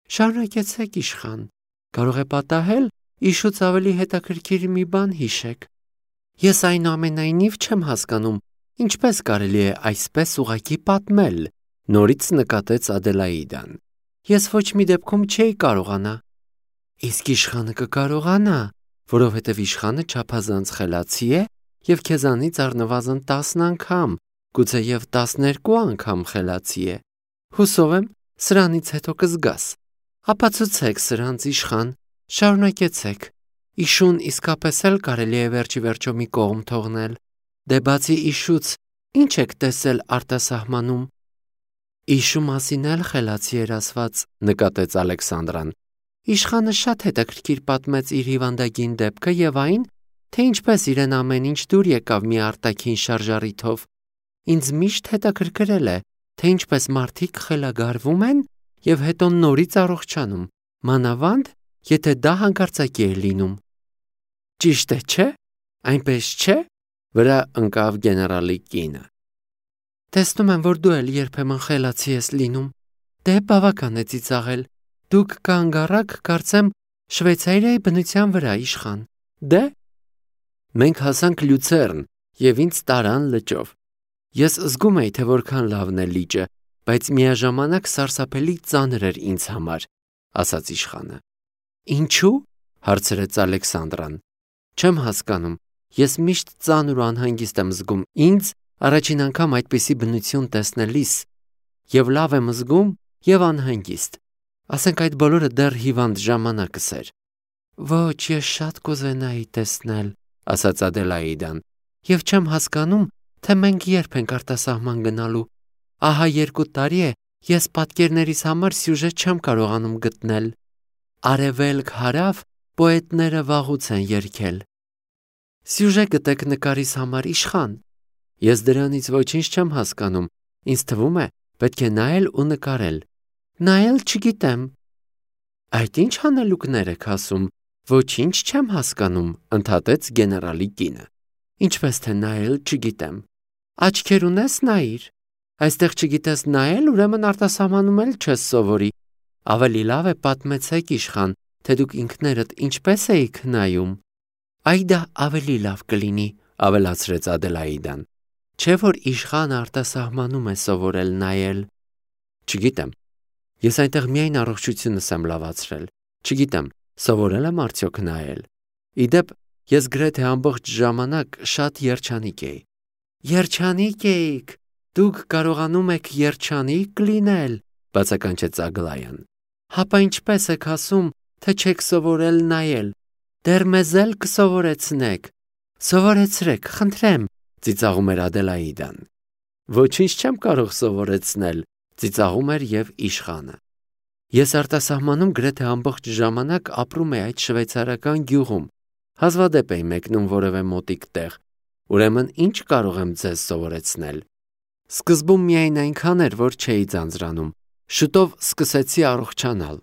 Շարունակեցեք, իշխան, կարող է պատահել իշուց ավելի հետաքրքիր մի բան հիշեք։ Ես այնուամենայնիվ չեմ հասկանում, ինչպես կարելի է այսպես ուղղակի պատմել, նորից նկատեց Ադելաիդան։ Ես ոչ մի դեպքում չէի կարողանա։ Իսկ իշխանը կկարողանա, որովհետև իշխանը չափազանց խելացի է և քեզանից առնվազն 10 անգամ, գուցեև 12 անգամ խելացի է։ Հուսով եմ, սրանից հետո կզգաս։ Ապացուցեք սրանց, իշխան, շարունակեցեք։ Իշուն իսկապես էլ կարելի է վերջի վերջո մի կողմ թողնել։ Դե բացի իշուց, ինչ եք տեսել արտասահմանում։ Իշու մասին էլ խելացի էր ասված, նկատեց Ալեքսանդրան։ Իշխանը շատ հետաքրքիր պատմեց իր հիվանդագին դեպքը և այն, թե ինչպես իրեն ամեն ինչ դուր եկավ մի արտաքին շարժառիթով։ Ինձ միշտ հետաքրքրել է, թե ինչպես մարդիկ խելագարվում են և հետո նորից առողջանում, մանավանդ, եթե դա հանկարծակի է լինում։ Ճիշտ է, չէ՞, այնպես չէ՞, վրա ընկավ գեներալի կինը։ Տեսնում եմ, որ դու էլ երբեմն խելացի ես լինում։ Դե բավական է ծիծաղել։ Դուք կանգ առաք, կարծեմ, Շվեյցարիայի բնության վրա, իշխան։ Դե։ Մենք հասանք Լյուցեռն և ինձ տարան լճով։ Ես զգում էի, թե որքան լավն է լիճը, բայց միաժամանակ սարսափելի ծանր էր ինձ համար, ասաց իշխանը։ Ինչու՞, հարցրեց Ալեքսանդրան։ Չեմ հասկանում, ես միշտ ծանր ու անհանգիստ եմ զգում ինձ առաջին անգամ այդպիսի բնություն տեսնելիս, և լավ եմ զգում և անհանգիստ։ Ասենք այդ բոլորը դեռ հիվանդ ժամանակս էր։ Ոչ, ես շատ կուզենայի տեսնել, ասաց Ադելաիդան, և չեմ հասկանում, թե մենք երբ ենք արտասահման գնալու։ Ահա 2 տարի է, ես պատկերներիս համար սյուժե չեմ կարողանում գտնել։ Արևելք-հարավ պոետները վաղուց են երգել։ Սյուժե գտեք նկարիս համար, իշխան։ Ես դրանից ոչինչ չեմ հասկանում, ինձ թվում է, պետք է նայել ու նկարել։ Նայել չգիտեմ։ Այդ ինչ հանելուկներ եք ասում, ոչինչ չեմ հասկանում, ընդհատեց գեներալի կինը։ Ինչպես թե նայել չգիտեմ։ Աչքեր ունես, նայիր։ Այստեղ չգիտես նայել, ուրեմն արտասահմանում էլ չես սովորի։ Ավելի լավ է պատմեցեք, իշխան, թե դուք ինքներդ ինչպես էիք նայում։ Այ դա ավելի լավ կլինի, ավելացրեց Ադելաիդան։ Չէ՞ որ իշխանը արտասահմանում է սովորել նայել։ Չգիտեմ։ Ես այնտեղ միայն առողջությունս եմ լավացրել։ Չգիտեմ, սովորել եմ արդյոք նայել։ Իդեպ, ես գրեթե ամբողջ ժամանակ շատ երջանիկ էի։ Երջանիկ էիք։ Դուք կարողանում եք երջանիկ լինել, բացականչեց Ագլայան։ Հապա ինչպես եք ասում, թե չեք սովորել նայել։ Դեռ մեզ էլ կսովորեցնեք։ Սովորեցրեք, խնդրեմ, ծիծաղում էր Ադելաիդան։ Ոչինչ չեմ կարող սովորեցնել, ծիծաղում էր և իշխանը։ Ես արտասահմանում գրեթե ամբողջ ժամանակ ապրում էի այդ շվեյցարական գյուղում։ Հազվադեպ էի մեկնում որևէ մոտիկ տեղ։ Ուրեմն ինչ կարող եմ ձեզ սովորեցնել։ Սկզբում միայն այնքան էր, որ չէի ձանձրանում։ Շուտով սկսեցի առողջանալ։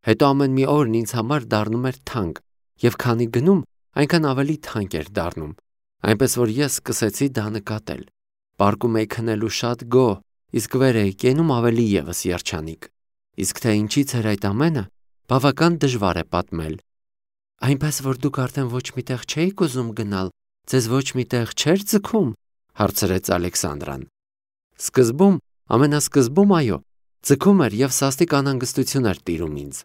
Հետո ամեն մի օրն ինձ համար դառնում էր թանկ, և քանի գնում, այնքան ավելի թանկ էր դառնում։ Այնպես որ ես սկսեցի դա նկատել։ Պարկում էի քնելու շատ գոհ, իսկ վեր էի կենում ավելի ևս երջանիկ։ Իսկ թե ինչից էր այդ ամենը, բավական դժվար է պատմել։ Այնպես որ դուք արդեն ոչ միտեղ չէիք ուզում գնալ, ձեզ ոչ միտեղ չէր ձգում, հարցրեց Ալեքսանդրան։ Սկզբում, ամենասկզբում, այո, ձգում էր և սաստիկ անհանգստություն էր տիրում ինձ։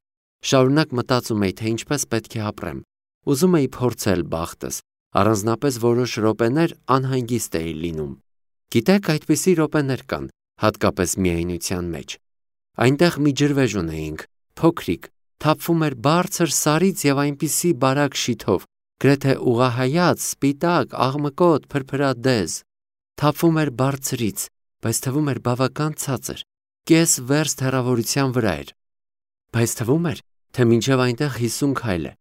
Շարունակ մտածում էի, թե ինչպես պետք է ապրեմ։ Ուզում էի փորձել բախտս, առանձնապես որոշ րոպեներ անհանգիստ էի լինում։ Գիտեք, այդպիսի րոպեներ կան, հատկապես միայնության մեջ։ Այնտեղ մի ջրվեժ ունեինք, փոքրիկ, թափվում էր բարձր սարից և այնպիսի բարակ շիթով, գրեթե ուղղահայաց, սպիտակ, աղմկոտ, փրփրադեզ։ Թափվում էր բարձրից, բայց թվում էր բավական ցածր, կես վերստ հեռավորության վրա էր։ Բայց թվում էր, թե մինչև այնտեղ 50 քայլ է։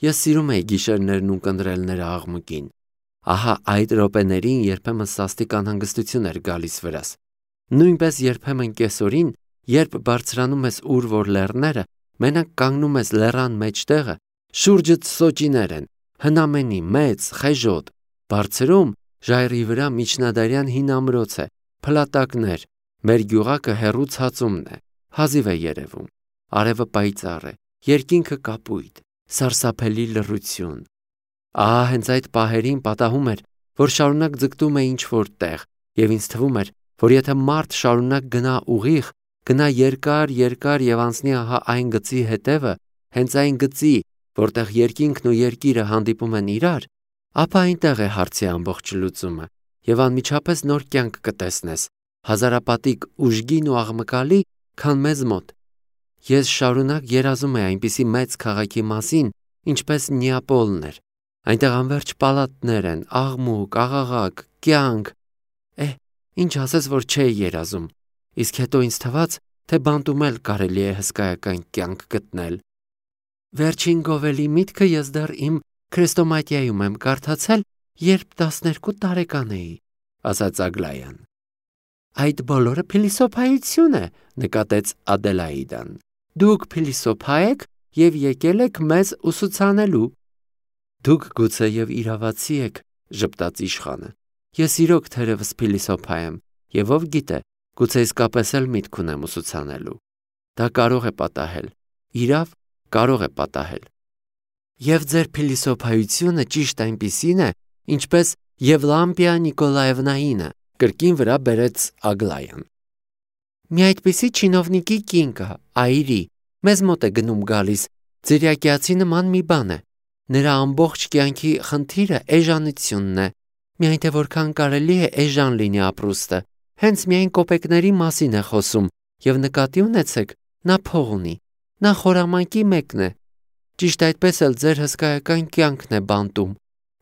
Ես սիրում էի գիշերներն ունկնդրել նրա աղմուկին։ Ահա այդ րոպեներին երբեմն սաստիկ անհանգստություն էր գալիս վրաս։ Նույնպես երբեմն կեսօրին, երբ բարձրանում ես ուր որ լեռները, մենակ կանգնում ես լեռան մեջտեղը, շուրջդ սոճիներ են, հնամենի, մեծ, խեժոտ, բարձրում ժայռի վրա միջնադարյան հին ամրոց է, փլատակներ, մեր գյուղակը հեռու ցածումն է, հազիվ է երևում։ արևը պայծառ է, երկինքը կապույտ, սարսափելի լռություն։ Ահա հենց այդ պահերին պատահում էր, որ շարունակ ձգտում է ինչ-որ տեղ, եւ ինձ թվում էր, որ եթե մարդ շարունակ գնա ուղիղ, գնա երկար եւ անցնի ահա այն գծի հետևը, հենց այն գծի, որտեղ երկինքն ու երկիրը հանդիպում են իրար, ապա այնտեղ է հարցի ամբողջ լուծումը, եւ անմիջապես նոր կյանք կտեսնես, հազարապատիկ ուժգին ու աղմկալի, քան մեզ մոտ։ Ես շարունակ երազում եմ այնպիսի մեծ քաղաքի մասին, ինչպես Նեապոլն էր։ Այնտեղ անվերջ պալատներ են, աղմուկ, աղաղակ, կյանք։ Ինչ ասես, որ չէի երազում։ Իսկ հետո ինձ թվաց, թե բանտում էլ կարելի է հսկայական կյանք գտնել։ Վերջին գովելի միտքը ես դեռ իմ քրեստոմատիայում եմ կարդացել, երբ 12 տարեկան էի, ասաց Ագլայան։ Այդ բոլորը փիլիսոփայություն է, նկատեց Ադելաիդան։ Դուք փիլիսոփա եք եւ եկել եք մեզ ուսուցանելու։ Դուք գուցե եւ իրավացի եք, ժպտաց իշխանը։ Ես իրոք թերևս փիլիսոփա եմ, եւ ով գիտե, գուցե իսկապես էլ միտք ունեմ ուսուցանելու։ Դա կարող է պատահել։ Իրավ, կարող է պատահել։ Եվ ձեր փիլիսոփայությունը ճիշտ այնպիսին է, ինչպես Եվլամպիա Նիկոլաևնայինը, կրկին վրա բերեց Ագլայան։ Մի այդպիսի չինովնիկի կին կա, Այրի, մեզ մոտ է գնում գալիս, ծիրյակյացի նման մի բան է։ Նրա ամբողջ կյանքի խնդիրը էժանությունն է։ Միայն թե որքան կարելի է էժան լինի ապրուստը, հենց միայն կոպեկների մասին է խոսում, եւ նկատի ունեցեք, նա փող ունի, նա խորամանկի մեկն է։ Ճիշտ այդպես էլ ձեր հսկայական կյանքն է բանտում։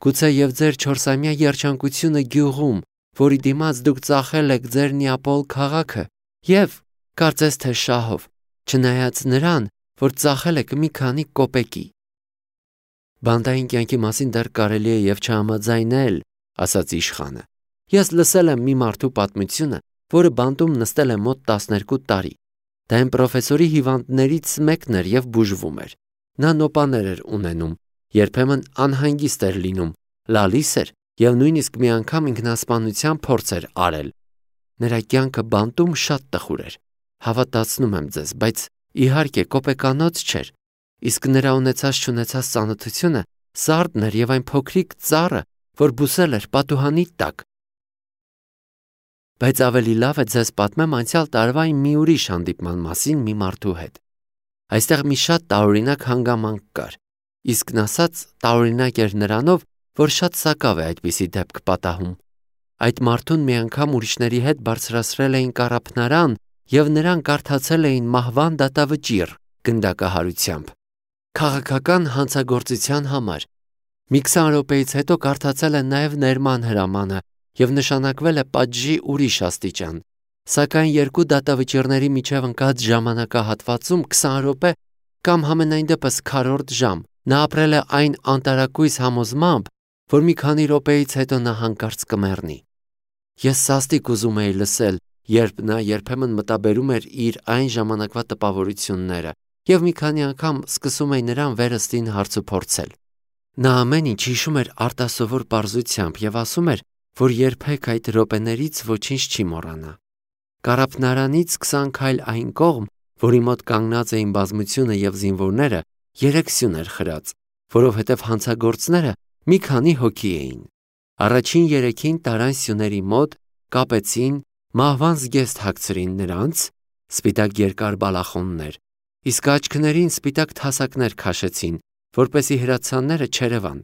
Գուցե եւ ձեր 4-ամյա երջանկությունը գյուղում, որի դիմաց դուք ծախել եք ձեր Նեապոլ քաղաքը, եւ կարծես թե շահով, չնայած նրան, որ ծախել եք մի քանի կոպեկի։ Բանտային կյանքի մասին դեռ կարելի է եւ չհամաձայնել, ասաց իշխանը։ Ես լսել եմ մի մարդու պատմությունը, որը բանտում նստել է մոտ 12 տարի։ Դա այն պրոֆեսորի հիվանդներից մեկն էր եւ բուժվում էր։ Նա նոպաներ էր ունենում, երբեմն անհանգիստ էր լինում, լալիս էր եւ նույնիսկ մի անգամ ինքնասպանության փորձ էր արել։ Նրա կյանքը բանտում շատ տխուր էր։ Հավատացնում եմ ձեզ, բայց իհարկե կոպեկանոց չէր։ Իսկ նրա ունեցած-չունեցած ծանոթությունը սարդն էր եւ այն փոքրիկ ծառը, որ բուսել էր պատուհանի տակ։ Բայց ավելի լավ է ձեզ պատմեմ անցյալ տարվա մի ուրիշ հանդիպման մասին մի մարդու հետ։ Այստեղ մի շատ տարօրինակ հանգամանք կար։ Իսկն ասած, տարօրինակ էր նրանով, որ շատ սակավ է այդպիսի դեպք պատահում։ Այդ մարդուն մի անգամ ուրիշների հետ բարձրացրել էին կառափնարան եւ նրան կարդացել էին մահվան դատավճիռ գնդակահարությամբ։ Քաղաքական հանցագործության համար։ Մի 20 րոպեից հետո կարդացել են նաև ներման հրամանը եւ նշանակվել է պատժի ուրիշ աստիճան։ Սակայն երկու դատավճիռների միջև ընկած ժամանակահատվածում 20 րոպե կամ համենայն դեպս քառորդ ժամ նա ապրել է այն անտարակույս համոզմամբ, որ մի քանի րոպեից հետո նա հանկարծ կմեռնի։ Ես սաստիկ ուզում էի լսել, երբ նա երբեմն մտաբերում էր իր այն ժամանակվա տպավորությունները եւ մի քանի անգամ սկսում էի նրան վերստին հարցուփորձել։ Նա ամեն ինչ հիշում էր արտասովոր պարզությամբ եւ ասում էր, որ երբեք այդ րոպեներից ոչինչ չի մոռանա։ Կառափնարանից 20 քայլ այն կողմ, որի մոտ կանգնած էին բազմությունը եւ զինվորները, 3 սյուն էր խրած, որովհետեւ հանցագործները մի քանի հոգի էին։ Առաջին 3-ին տարան սյուների մոտ կապեցին, մահվան զգեստ հագցրին նրանց, սպիտակ երկար բալախոններ, իսկ աչքներին սպիտակ թասակներ քաշեցին, որպեսի հրացանները չերևան։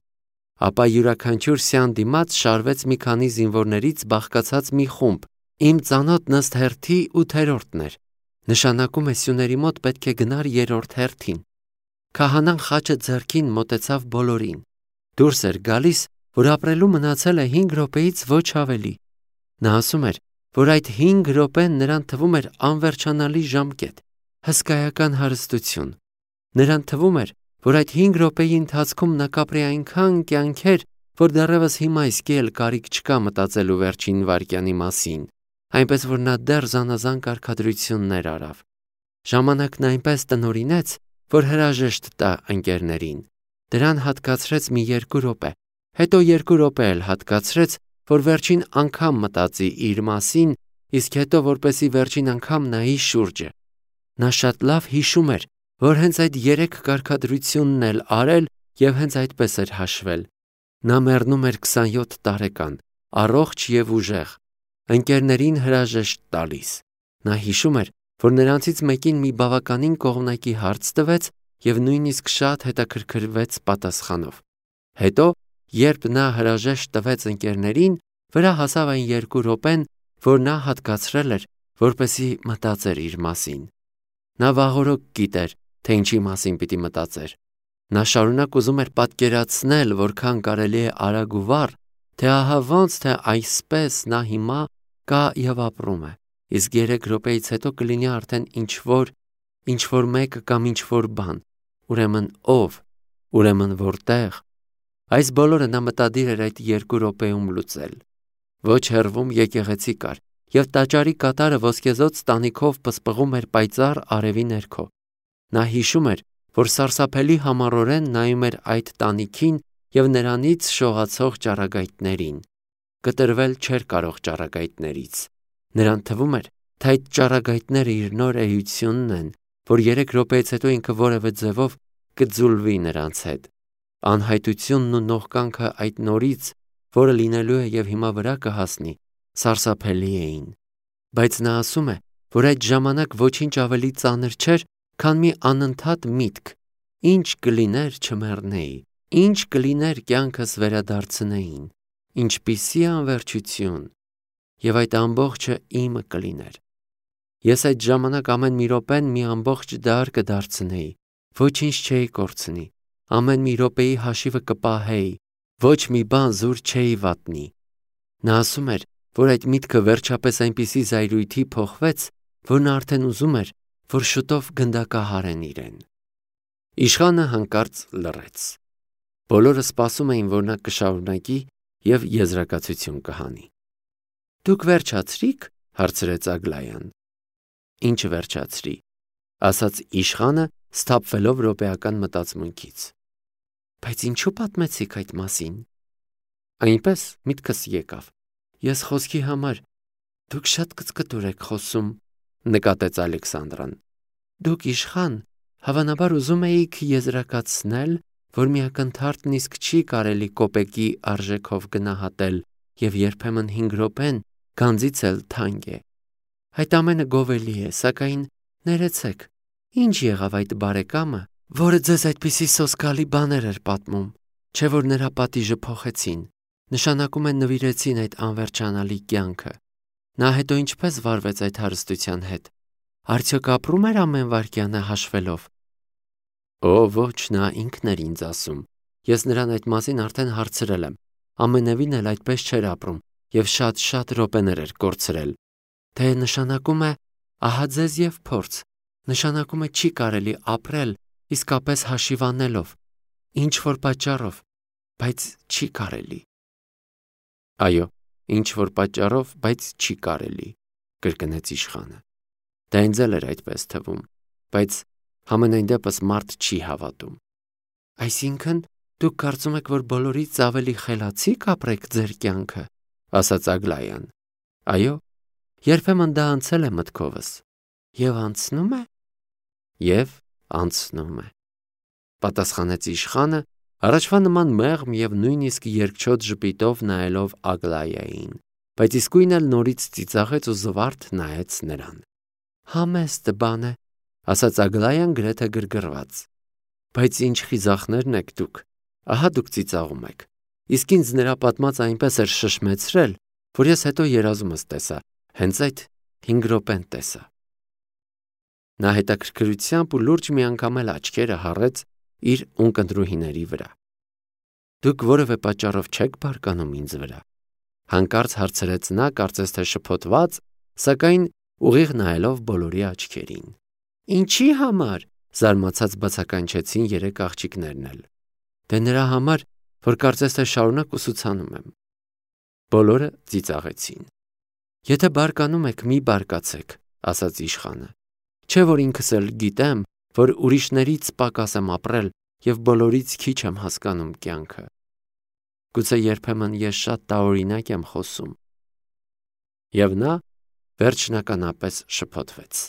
Ապա յուրաքանչյուր սյան դիմաց շարվեց մի քանի զինվորներից բաղկացած մի խումբ։ Իմ ծանոթն ըստ հերթի 8-րդն էր։ Նշանակում է սյուների մոտ պետք է գնար 3-րդ հերթին։ Քահանան խաչը ձեռքին մոտեցավ բոլորին։ Դուրս էր գալիս, որ ապրելու մնացել է 5 րոպեից ոչ ավելի։ Նա ասում էր, որ այդ 5 րոպեն նրան թվում էր անվերջանալի ժամկետ, հսկայական հարստություն։ Նրան թվում էր, որ այդ 5 րոպեի ընթացքում նա կապրի այնքան կյանքեր, որ դեռևս հիմա իսկի էլ կարիք չկա մտածելու վերջին վայրկյանի մասին, այնպես որ նա դեռ զանազան կարգադրություններ արավ։ Ժամանակն այնպես տնօրինեց, որ հրաժեշտ տա ընկերներին։ Դրան հատկացրեց մի 2 րոպե, հետո 2 րոպե էլ հատկացրեց, որ վերջին անգամ մտածի իր մասին, իսկ հետո որպեսի վերջին անգամ նայի շուրջը։ Նա շատ լավ հիշում էր, որ հենց այդ 3 կարգադրությունն էլ արել եւ հենց այդպես էր հաշվել։ Նա մեռնում էր 27 տարեկան, առողջ եւ ուժեղ, ընկերներին հրաժեշտ տալիս։ Նա հիշում էր, որ նրանցից մեկին մի բավականին կողմնակի հարց տվեց եւ նույնիսկ շատ հետաքրքրվեց պատասխանով։ Հետո, երբ նա հրաժեշտ տվեց ընկերներին, վրա հասավ այն 2 րոպեն, որ նա հատկացրել էր, որպեսզի մտածեր իր մասին։ Նա վաղօրոք գիտեր, թե ինչի մասին պիտի մտածեր։ Նա շարունակ ուզում էր պատկերացնել, որքան կարելի է արագ ու վառ, թե ահա ոնց թե այսպես նա հիմա կա եւ ապրում է, իսկ 3 րոպեից հետո կլինի արդեն ինչ-որ մեկը կամ ինչ-որ բան, ուրեմն ով, ուրեմն որտեղ։ Այս բոլորը նա մտադիր էր այդ 2 րոպեում լուծել։ Ոչ հեռվում եկեղեցի կար, եւ տաճարի կատարը ոսկեզօծ տանիքով պսպղում էր պայծառ արևի ներքո։ Նա հիշում էր, որ սարսափելի համառորեն նայում էր այդ տանիքին եւ նրանից շողացող ճառագայթներին։ Կտրվել չէր կարող ճառագայթներից։ Նրան թվում էր, թե այդ ճառագայթները իր նոր էությունն են, որ 3 րոպեից հետո ինքը որևէ ձևով կձուլվի նրանց հետ։ Անհայտությունն ու նողկանքը այդ նորից, որը լինելու է եւ հիմա վրա կհասնի, սարսափելի էին։ Բայց նա ասում է, որ այդ ժամանակ ոչինչ ավելի ծանր չէր, քան մի անընդհատ միտք. ինչ կլիներ չմեռնեի, ինչ կլիներ կյանքս վերադարձնեին, ինչպիսի անվերջություն, եւ այդ ամբողջը իմը կլիներ։ Ես այդ ժամանակ ամեն մի րոպեն մի ամբողջ դար կդարձնեի, ոչինչ չէի կորցնի, ամեն մի րոպեի հաշիվը կպահեի, ոչ մի բան զուր չէի վատնի։ Նա ասում էր, որ այդ միտքը վերջապես այնպիսի զայրույթի փոխվեց, որ նա արդեն ուզում էր, որ շուտով գնդակահարեն իրեն։ Իշխանը հանկարծ լռեց։ Բոլորը սպասում էին, որ նա կշարունակի եւ եզրակացություն կհանի։ Դուք վերջացրիք, հարցրեց Ագլայան։ Ինչ վերջացրի, ասաց իշխանը, սթափվելով րոպեական մտածմունքից։ Բայց ինչու պատմեցիք այդ մասին։ Այնպես միտքս եկավ։ Ես խոսքի համար, դուք շատ կծկտուր եք խոսում, նկատեց Ալեքսանդրան։ Դուք իշխան, հավանաբար ուզում էիք եզրակացնել, որ մի ակնթարթն իսկ չի կարելի կոպեկի արժեքով գնահատել եւ երբեմն 5 րոպեն գանձից էլ թանկ է։ Այդ ամենը գովելի է, սակայն ներեցեք, ինչ եղավ այդ բարեկամը, որը ձեզ այդպիսի սոսկալի բաներ էր պատմում, չէ որ նրա պատիժը փոխեցին, նշանակում է նվիրեցին այդ անվերջանալի կյանքը։ Նա հետո ինչպես վարվեց այդ հարստության հետ։ Արդյոք ապրում էր ամեն վայրկյանը հաշվելով։ Օ, ոչ, նա ինքն էր ինձ ասում։ Ես նրան այդ մասին արդեն հարցրել եմ։ Ամենևին էլ այդպես չէր ապրում եւ շատ րոպեներ էր կորցրել։ Թե նշանակում է ահա ձեզ եւ փորձ, նշանակում է չի կարելի ապրել իսկապես հաշիվանելով, ինչ որ պատճառով, բայց չի կարելի։ Այո, ինչ որ պատճառով, բայց չի կարելի, կրկնեց իշխանը։ Դա ինձ էլ էր այդպես թվում, բայց համենայն դեպս մարդ չի հավատում։ Այսինքն դուք կարծում եք, որ բոլորից ավելի խելացի կապրեք ձեր կյանքը, ասաց Ագլայան։ Այո, երբեմն դա անցել է մտքովս։ Եվ անցնում է։ Եվ անցնում է, պատասխանեց իշխանը, առաջվա նման մեղմ եւ նույնիսկ երկչոտ ժպիտով նայելով Ագլայային, բայց իսկույն էլ նորից ծիծաղեց ու զվարթ նայեց նրան։ Համեստ բան է, ասաց Ագլայան գրեթե գրգռված։ Բայց ինչ խիզախներն եք դուք, ահա դուք ծիծաղում եք։ Իսկ ինձ նրա պատմածը այնպես էր շշմեցրել, որ ես հետո երազումս տեսա, հենց այդ 5 րոպեն տեսա։ Նա հետաքրքրությամբ ու լուրջ մի անգամ էլ աչքերը հառեց իր ունկնդրուհիների վրա։ Դուք որևէ պատճառով չեք բարկանում ինձ վրա։ Հանկարծ հարցրեց նա, կարծես թե շփոթված, սակայն ուղիղ նայելով բոլորի աչքերին։ Ինչի համար, զարմացած բացականչեցին 3 աղջիկներն էլ։ Դե նրա համար, որ կարծես թե շարունակ ուսուցանում եմ։ Բոլորը ծիծաղեցին։ Եթե բարկանում եք, մի բարկացեք, ասաց իշխանը։ Չէ որ ինքս էլ գիտեմ, որ ուրիշներից պակաս եմ ապրել եւ բոլորից քիչ եմ հասկանում կյանքը։ Գուցե երբեմն ես շատ տարօրինակ եմ խոսում։ Եվ նա վերջնականապես շփոթվեց։